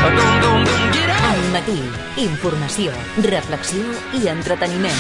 Al matí, informació, reflexió i entreteniment.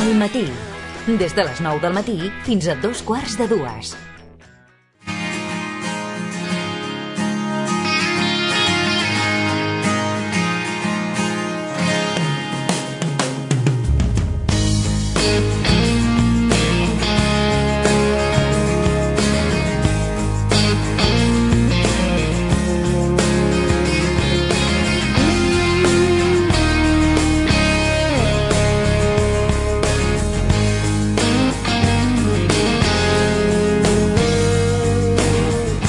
Al matí, des de les 9 del matí fins a 2:15.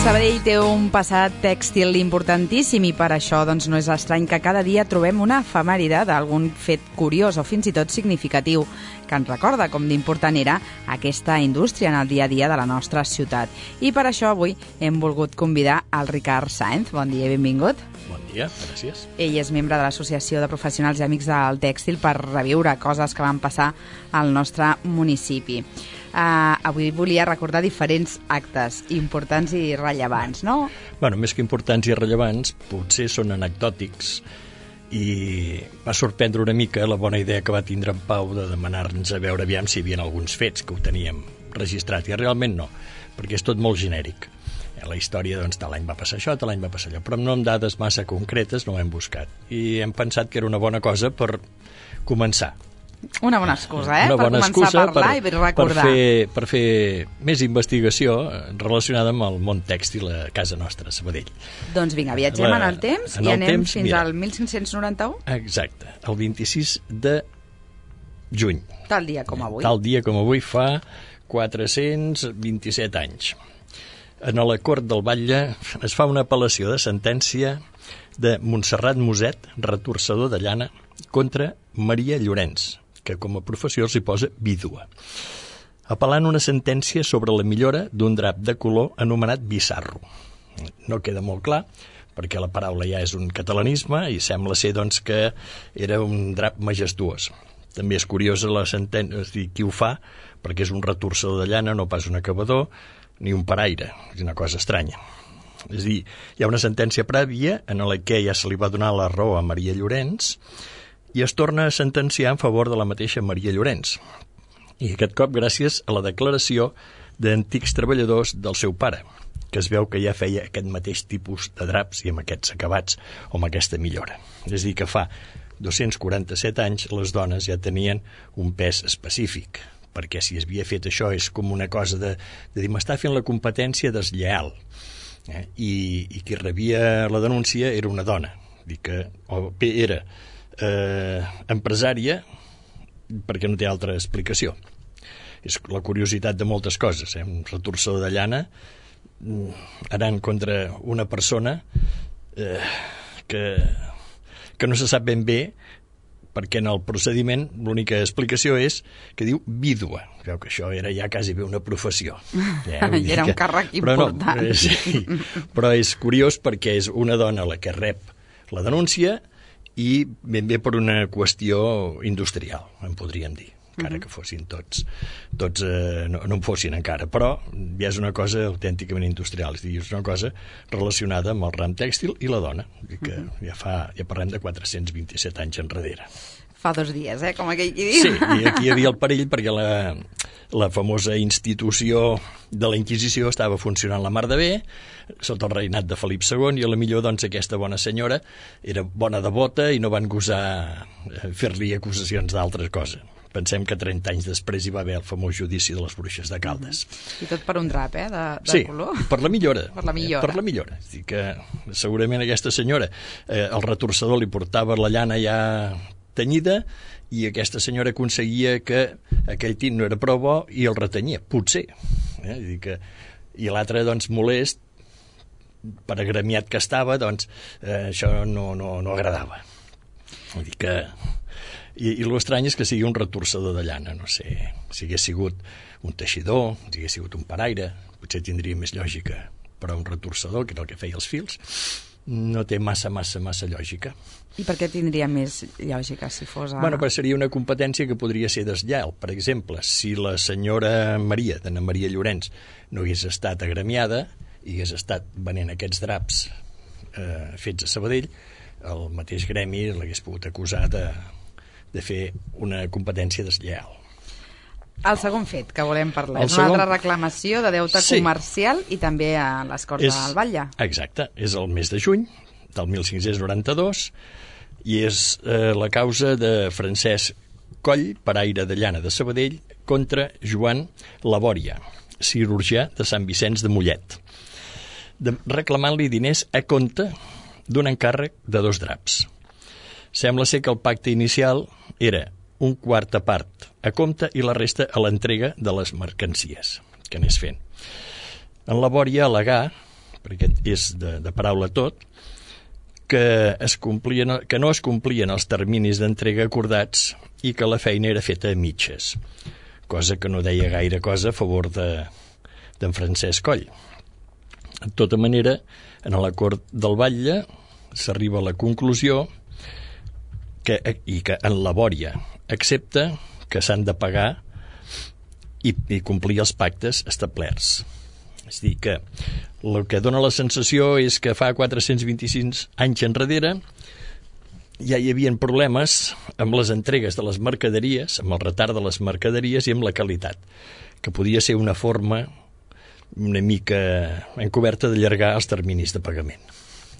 Sabadell té un passat tèxtil importantíssim i per això doncs, no és estrany que cada dia trobem una efemèride d'algun fet curiós o fins i tot significatiu que ens recorda com d'important era aquesta indústria en el dia a dia de la nostra ciutat. I per això avui hem volgut convidar al Ricard Sáenz. Bon dia i benvingut. Bon dia, gràcies. Ell és membre de l'Associació de Professionals i Amics del Tèxtil per reviure coses que van passar al nostre municipi. Avui volia recordar diferents actes importants i rellevants, no? Bueno, més que importants i rellevants, potser són anecdòtics i va sorprendre una mica la bona idea que va tindre en Pau de demanar-nos a veure aviam si hi havia alguns fets que ho teníem registrat, i realment no, perquè és tot molt genèric. La història, doncs, tal any va passar això, tal any va passar allò, però no amb dades massa concretes no ho hem buscat. I hem pensat que era una bona cosa per començar. Una bona excusa, Una per bona començar excusa a parlar i recordar. per fer més investigació relacionada amb el món tèxtil a casa nostra, a Sabadell. Doncs vinga, viatgem en el temps i anem fins mira, al 1591? Exacte, el 26 de juny. Tal dia com avui. Tal dia com avui fa 427 anys. En la Cort del Batlle es fa una apel·lació de sentència de Montserrat Moset, retorçador de llana, contra Maria Llorenç, que com a professió s'hi posa vídua, apel·lant una sentència sobre la millora d'un drap de color anomenat Bizarro. No queda molt clar, perquè la paraula ja és un catalanisme i sembla ser doncs, que era un drap majestuós. També és curiosa la sentència, és a dir, qui ho fa, perquè és un retorçador de llana, no pas un acabador, ni un paraire, és una cosa estranya. És a dir, hi ha una sentència prèvia en la que ja se li va donar la raó a Maria Llorenç i es torna a sentenciar en favor de la mateixa Maria Llorenç. I aquest cop gràcies a la declaració d'antics treballadors del seu pare, que es veu que ja feia aquest mateix tipus de draps i amb aquests acabats o amb aquesta millora. És a dir, que fa 247 anys les dones ja tenien un pes específic, perquè si es havia fet això és com una cosa de dir m'està fent la competència deslleal. I qui rebia la denúncia era una dona, que o bé era empresària, perquè no té altra explicació. És la curiositat de moltes coses, un retorçador de llana anant contra una persona que no se sap ben bé, perquè en el procediment l'única explicació és que diu vídua. Creu que això era ja quasi bé una professió. Era un càrrec important. Però, sí, però és curiós perquè és una dona la que rep la denúncia i ben bé per una qüestió industrial, en podríem dir, encara que fossin tots no en fossin encara, però ja és una cosa autènticament industrial, és a dir, és una cosa relacionada amb el ram tèxtil i la dona, que ja parlem de 427 anys enrere. Fa 2 dies, com aquell qui diu. Sí, i aquí hi havia el perill perquè la famosa institució de la Inquisició estava funcionant la mar de bé, sota el reinat de Felip II, i a la millor doncs, aquesta bona senyora era bona devota i no van gosar fer-li acusacions d'altres coses. Pensem que 30 anys després hi va haver el famós judici de les bruixes de Caldes. I tot per un drap, de color? Sí, per la millora. Per la millora. Per la millora. És dir que segurament aquesta senyora, el retorçador li portava la llana ja tenyida i aquesta senyora aconseguia que aquell tint no era prou bo i el retenyia, potser. I l'altre, doncs, molest, per agremiat que estava, doncs, això no agradava. Vull dir que... I l'estrany és que sigui un retorçador de llana, no sé, si hagués sigut un teixidor, si hagués sigut un paraire, potser tindria més lògica, però un retorçador, que era el que feia els fils, no té massa lògica. I per què tindria més lògica si fos... Bueno, però seria una competència que podria ser deslleial. Per exemple, si la senyora Maria, d'Anna Maria Llorenç, no hagués estat agremiada i hagués estat venent aquests draps fets a Sabadell, el mateix gremi l'hagués pogut acusar de fer una competència deslleial. El segon fet que volem parlar és una altra reclamació de deute comercial i també a les Corts del Batlle. Exacte, és el mes de juny del 1592 i és la causa de Francesc Coll, paraire de llana de Sabadell, contra Joan Labòria, cirurgià de Sant Vicenç de Mollet, reclamant-li diners a compte d'un encàrrec de 2 draps. Sembla ser que el pacte inicial era un quarta part a compte i la resta a l'entrega de les mercancies que anés fent. En Labòria al·legà, perquè és de paraula tot, que no es complien els terminis d'entrega acordats i que la feina era feta a mitges, cosa que no deia gaire cosa a favor d'en Francesc Coll. De tota manera, en l'acord del Batlle s'arriba a la conclusió que en Labòria accepta que s'han de pagar i complir els pactes establerts. És a dir, que el que dona la sensació és que fa 425 anys enrere ja hi havia problemes amb les entregues de les mercaderies, amb el retard de les mercaderies i amb la qualitat, que podia ser una forma una mica encoberta d'allargar els terminis de pagament.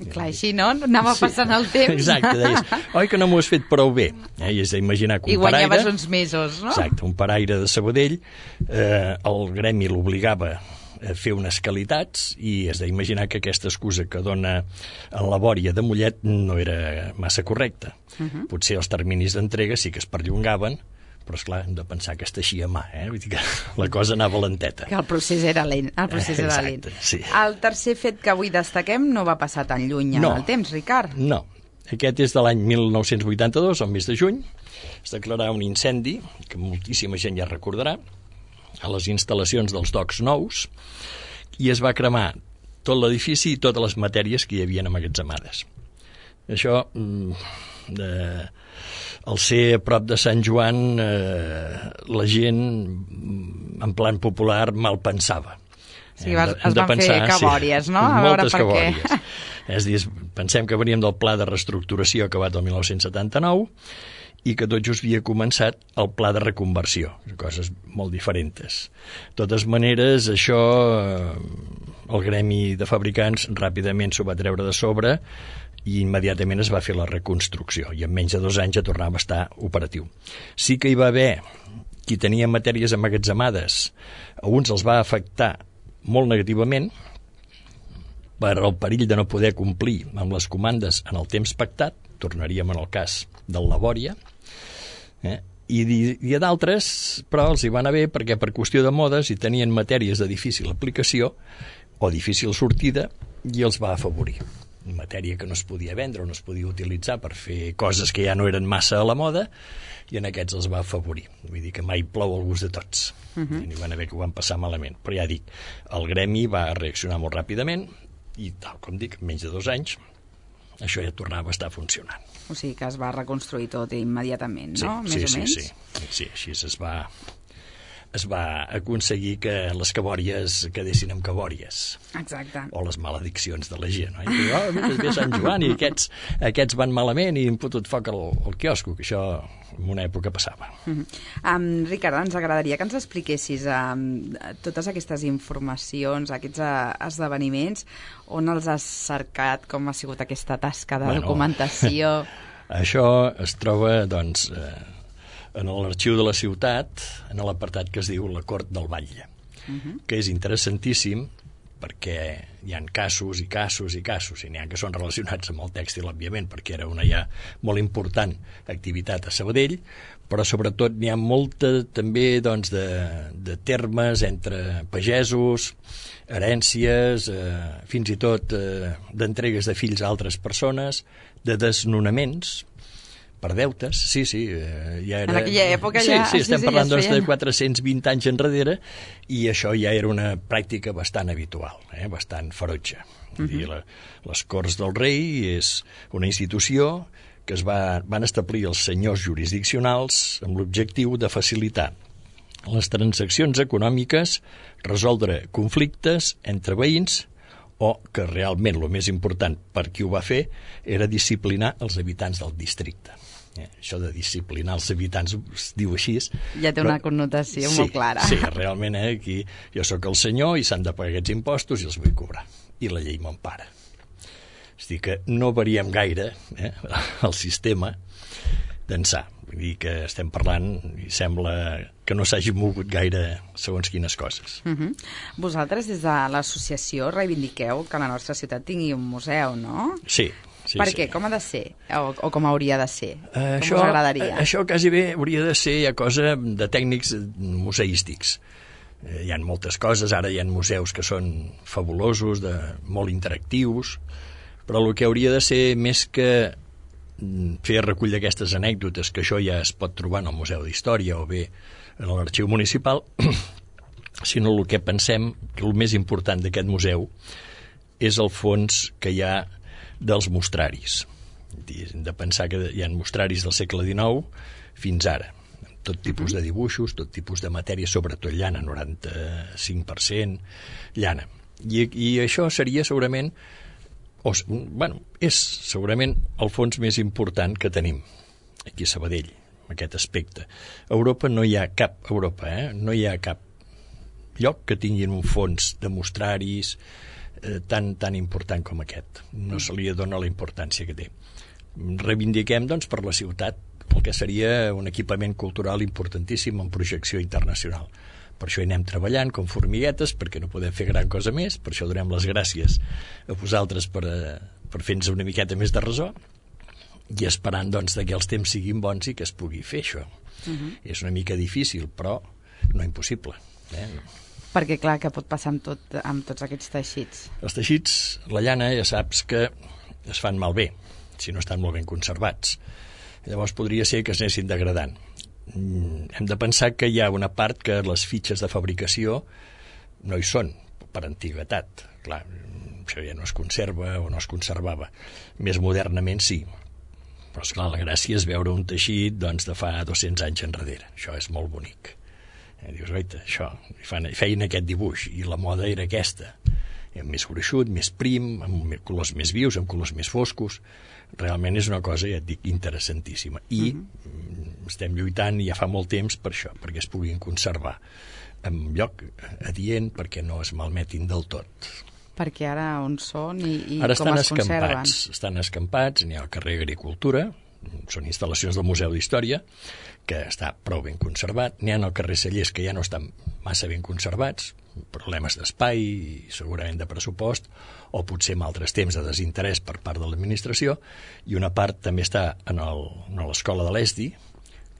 Clar, així, no? Anava passant el temps. Exacte, deies, oi que no m'ho has fet prou bé? I és d'imaginar que un paraire... I guanyaves uns mesos, no? Exacte, un paraire de Sabadell, el gremi l'obligava a fer unes qualitats i has d'imaginar que aquesta excusa que dona en Labòria de Mollet no era massa correcta. Potser els terminis d'entrega sí que es perllongaven, però esclar, hem de pensar que es teixia a mà, vull dir que la cosa anava lenteta. Que el procés era lent. Exacte, sí. El tercer fet que avui destaquem no va passar tan lluny en el temps, Ricard. No, aquest és de l'any 1982, el mes de juny, es declararà un incendi, que moltíssima gent ja recordarà, a les instal·lacions dels docks nous, i es va cremar tot l'edifici i totes les matèries que hi havia emmagatzemades. Això... al ser a prop de Sant Joan, la gent, en plan popular, mal pensava. Sí, es van fer cabòries, no? A veure per què. És a dir, pensem que veníem del pla de reestructuració acabat el 1979 i que tot just havia començat el pla de reconversió, coses molt diferents. De totes maneres, això, el gremi de fabricants ràpidament s'ho va treure de sobre i immediatament es va fer la reconstrucció i en menys de 2 anys ja tornava a estar operatiu. Sí que hi va haver qui tenia matèries emmagatzemades, a uns els va afectar molt negativament per el perill de no poder complir amb les comandes en el temps pactat, tornaríem en el cas del Labòria, i a d'altres, però els hi va anar bé perquè per qüestió de modes hi tenien matèries de difícil aplicació o difícil sortida i els va afavorir. Matèria que no es podia vendre o no es podia utilitzar per fer coses que ja no eren massa a la moda i en aquests els va afavorir. Vull dir que mai plou al gust de tots. N'hi van haver que ho van passar malament. Però ja dic, el gremi va reaccionar molt ràpidament i, tal com dic, en menys de 2 anys això ja tornava a estar funcionant. O sigui que es va reconstruir tot immediatament, no? Sí, més o menys? Sí, així es va aconseguir que les cabòries quedessin amb cabòries. Exacte. O les malediccions de la gent. No? I diu, ve Sant Joan i aquests van malament i han fotut foc al quiosco, que això en una època passava. Ricard, ens agradaria que ens expliquessis totes aquestes informacions, aquests esdeveniments, on els has cercat, com ha sigut aquesta tasca de documentació? Això es troba, doncs... en l'arxiu de la ciutat, en l'apartat que es diu la Cort del Batlle, que és interessantíssim perquè hi ha casos i casos i casos, i n'hi ha que són relacionats amb el tèxtil, òbviament, perquè era una ja molt important activitat a Sabadell, però sobretot n'hi ha molta també doncs, de termes entre pagesos, herències, fins i tot d'entregues de fills a altres persones, de desnonaments, per deutes, sí, ja era... En aquella època ja... Sí, estem parlant ja de 420 anys enrere, i això ja era una pràctica bastant habitual, bastant ferotge. I les Corts del Rei és una institució que van establir els senyors jurisdiccionals amb l'objectiu de facilitar les transaccions econòmiques, resoldre conflictes entre veïns, o que realment el més important per qui ho va fer era disciplinar els habitants del districte. Això de disciplinar els habitants es diu així. Ja té una connotació molt clara. Sí, realment aquí jo sóc el senyor i s'han de pagar aquests impostos i els vull cobrar. I la llei m'empara. És a dir, que no variem gaire el sistema d'ençà. Vull dir que estem parlant i sembla que no s'hagi mogut gaire segons quines coses. Vosaltres des de l'associació reivindiqueu que la nostra ciutat tingui un museu, no? Sí. Per què? Com ha de ser? O com hauria de ser? Com us agradaria? Això quasi bé hauria de ser cosa de tècnics museístics. Hi ha moltes coses, ara hi ha museus que són fabulosos, molt interactius, però el que hauria de ser més que fer recull d'aquestes anècdotes, que això ja es pot trobar en el Museu d'Història o bé en l'Arxiu Municipal, sinó el que pensem que el més important d'aquest museu és el fons que hi ha dels mostraris. Hem de pensar que hi ha mostraris del segle XIX fins ara, tot tipus de dibuixos, tot tipus de matèria, sobretot llana, 95% llana. I això seria segurament és segurament el fons més important que tenim aquí a Sabadell, aquest aspecte. A Europa no hi ha cap no hi ha cap lloc que tinguin un fons de mostraris tan important com aquest. No se li dona la importància que té. Reivindiquem, doncs, per la ciutat el que seria un equipament cultural importantíssim en projecció internacional. Per això hi anem treballant com formiguetes, perquè no podem fer gran cosa més, per això donem les gràcies a vosaltres per fer-nos una miqueta més de ressò, i esperant, doncs, que els temps siguin bons i que es pugui fer això. És una mica difícil, però no impossible. Perquè, clar, que pot passar amb tots aquests teixits? Els teixits, la llana, ja saps que es fan malbé, si no estan molt ben conservats. Llavors podria ser que es anessin degradant. Hem de pensar que hi ha una part que les fitxes de fabricació no hi són, per antiguitat. Clar, això ja no es conserva o no es conservava. Més modernament sí. Però, esclar, la gràcia és veure un teixit de fa 200 anys enrere. Això és molt bonic. Dius, oita, això, feien aquest dibuix i la moda era aquesta. Més gruixut, més prim, amb colors més vius, amb colors més foscos. Realment és una cosa, ja et dic, interessantíssima. I estem lluitant ja fa molt temps per això, perquè es puguin conservar en lloc adient, perquè no es malmetin del tot. Perquè ara on són i ara com es conserven? Estan escampats, n'hi ha al carrer Agricultura, són instal·lacions del Museu d'Història, que està prou ben conservat. N'hi ha al carrer Cellers, que ja no estan massa ben conservats, problemes d'espai i segurament de pressupost, o potser en altres temps de desinterès per part de l'administració, i una part també està a l'escola de l'ESDI,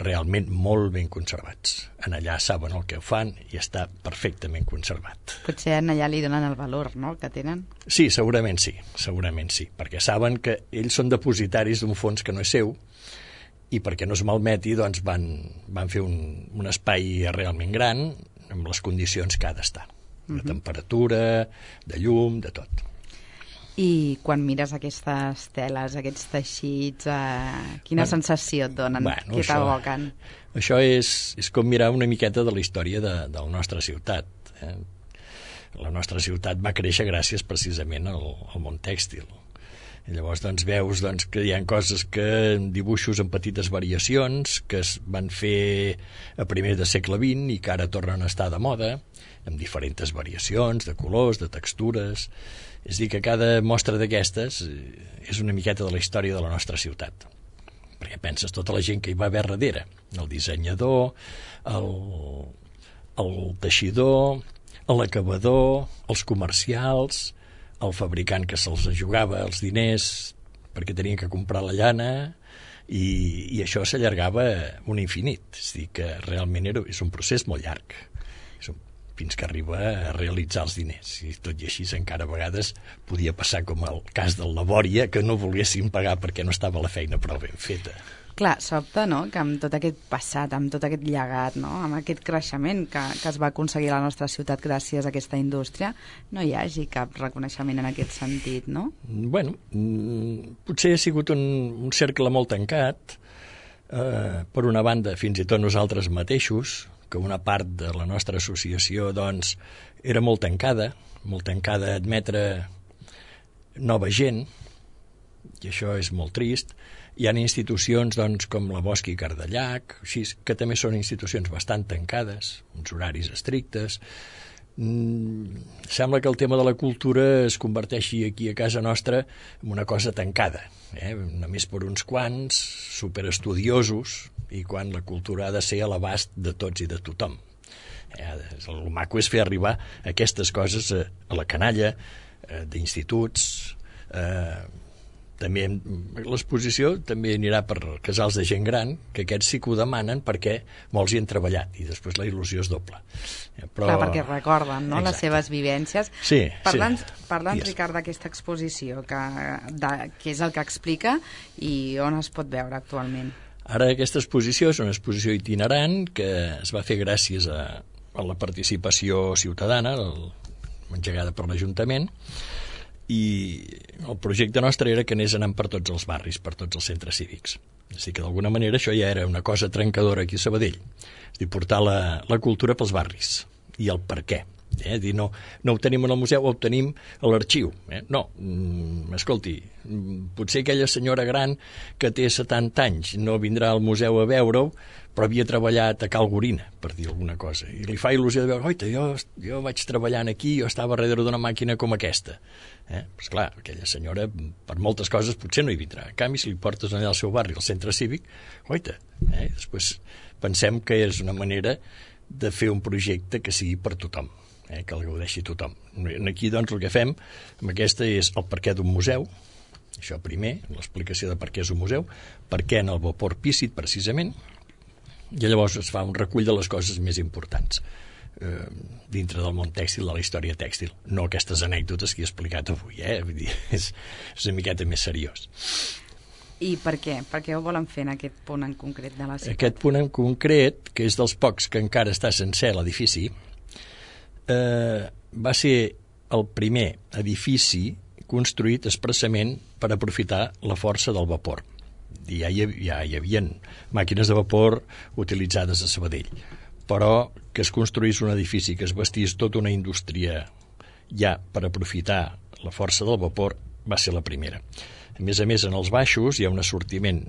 realment molt ben conservats. En allà saben el que fan i està perfectament conservat. Potser en allà li donen el valor, no?, que tenen? Sí, segurament sí, perquè saben que ells són depositaris d'un fons que no és seu, i perquè no es malmeti, doncs van fer un espai realment gran amb les condicions que ha d'estar. De temperatura, de llum, de tot. I quan mires aquestes teles, aquests teixits, quina sensació et donen? Què t'evoquen? Això és com mirar una miqueta de la història de la nostra ciutat. La nostra ciutat va créixer gràcies precisament al món tèxtil. I llavors veus que hi ha coses dibuixos amb petites variacions que es van fer a primers del segle XX i que ara tornen a estar de moda, amb diferents variacions de colors, de textures. És a dir, que cada mostra d'aquestes és una miqueta de la història de la nostra ciutat. Perquè penses tota la gent que hi va haver darrere, el dissenyador, el teixidor, l'acabador, els comercials, el fabricant que se'ls jugava els diners perquè tenien que comprar la llana, i això s'allargava un infinit. És a dir, que realment és un procés molt llarg. fins que arriba a realitzar els diners. I tot i així encara a vegades podia passar com el cas del Labòria, que no volguessin pagar perquè no estava la feina prou ben feta. Clar, sobta, no?, que amb tot aquest passat, amb tot aquest llegat, no?, amb aquest creixement que es va aconseguir a la nostra ciutat gràcies a aquesta indústria, no hi hagi cap reconeixement en aquest sentit, no? Bueno, potser ha sigut un cercle molt tancat, per una banda, fins i tot nosaltres mateixos, que una part de la nostra associació, doncs, era molt tancada a admetre nova gent, i això és molt trist. Hi ha institucions, doncs, com la Bosch i Cardellac, així, que també són institucions bastant tancades, uns horaris estrictes. Sembla que el tema de la cultura es converteixi aquí a casa nostra en una cosa tancada, només per uns quants, superestudiosos, i quan la cultura ha de ser a l'abast de tots i de tothom. El maco és fer arribar aquestes coses a la canalla d'instituts. També l'exposició també anirà per casals de gent gran, que aquests sí que ho demanen perquè molts hi han treballat i després la il·lusió és doble. Però... Clar, perquè recorden, no?, les seves vivències. Sí, Parla'ns, Ricard, d'aquesta exposició, que és el que explica i on es pot veure actualment. Ara aquesta exposició és una exposició itinerant que es va fer gràcies a la participació ciutadana, engegada per l'Ajuntament, i el projecte nostre era que anés anant per tots els barris, per tots els centres cívics. És dir, que d'alguna manera això ja era una cosa trencadora aquí a Sabadell. És dir, portar la cultura pels barris i el per què. Dir, no ho tenim en el museu, ho tenim a l'arxiu. No, escolti, potser aquella senyora gran que té 70 anys no vindrà al museu a veure-ho, però havia treballat a Cal Gorina, per dir alguna cosa, i li fa il·lusió de veure, oita, jo vaig treballant aquí, jo estava darrere d'una màquina com aquesta. Pues clar, aquella senyora, per moltes coses, potser no hi vindrà. En canvi, si li portes allà al seu barri, al centre cívic, oita, després pensem que és una manera de fer un projecte que sigui per tothom, que el gaudeixi tothom. Aquí, doncs, el que fem amb aquesta és el perquè d'un museu, això primer, l'explicació de per què és un museu, per què en el vapor Pícit, precisament, i llavors es fa un recull de les coses més importants dintre del món tèxtil, de la història tèxtil. No aquestes anècdotes que he explicat avui, vull dir, és una miqueta més seriós. I per què? Per què ho volen fer en aquest punt en concret de la ciutat? Aquest punt en concret, que és dels pocs que encara està sencer l'edifici, va ser el primer edifici construït expressament per aprofitar la força del vapor. Ja hi havia màquines de vapor utilitzades a Sabadell, però que es construís un edifici, que es bastís tota una indústria ja per aprofitar la força del vapor, va ser la primera. A més, en els baixos hi ha un assortiment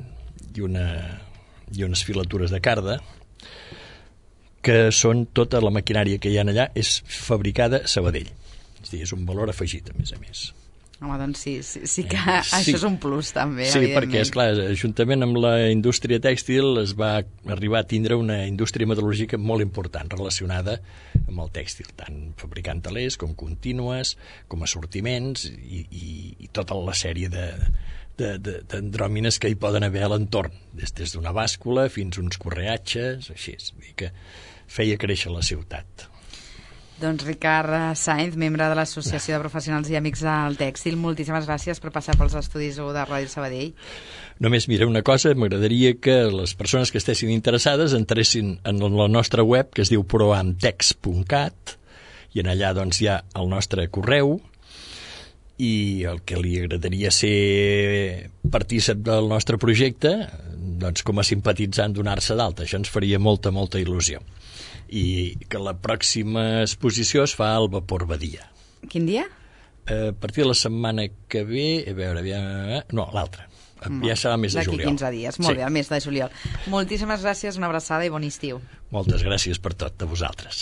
i unes filatures de carda que són tota la maquinària que hi ha allà és fabricada a Sabadell. És a dir, és un valor afegit, a més. Home, doncs sí que això és un plus, també, sí, evidentment. perquè, esclar, juntament amb la indústria tèxtil es va arribar a tindre una indústria metal·lúrgica molt important relacionada amb el tèxtil, tant fabricant telers com contínues, com assortiments i tota la sèrie d'andròmines que hi poden haver a l'entorn, des d'una bàscula fins uns correatges, així, és dir, que feia créixer la ciutat. Doncs Ricard Sainz, membre de l'Associació de Professionals i Amics del Tèxtil, moltíssimes gràcies per passar pels estudis de Ràdio Sabadell. Només, mira, una cosa, m'agradaria que les persones que estessin interessades entressin en la nostra web, que es diu proamtex.cat, i en allà doncs hi ha el nostre correu, i el que li agradaria ser partícip del nostre projecte, doncs com a simpatitzant donar-se d'alta. Això ens faria molta il·lusió. I que la pròxima exposició es fa al Vapor Badia. Quin dia? A partir de la setmana que ve, a veure, no, l'altra. Ja serà el mes de juliol. D'aquí 15 dies, molt bé, el mes de juliol. Moltíssimes gràcies, una abraçada i bon estiu. Moltes gràcies per tot, a vosaltres.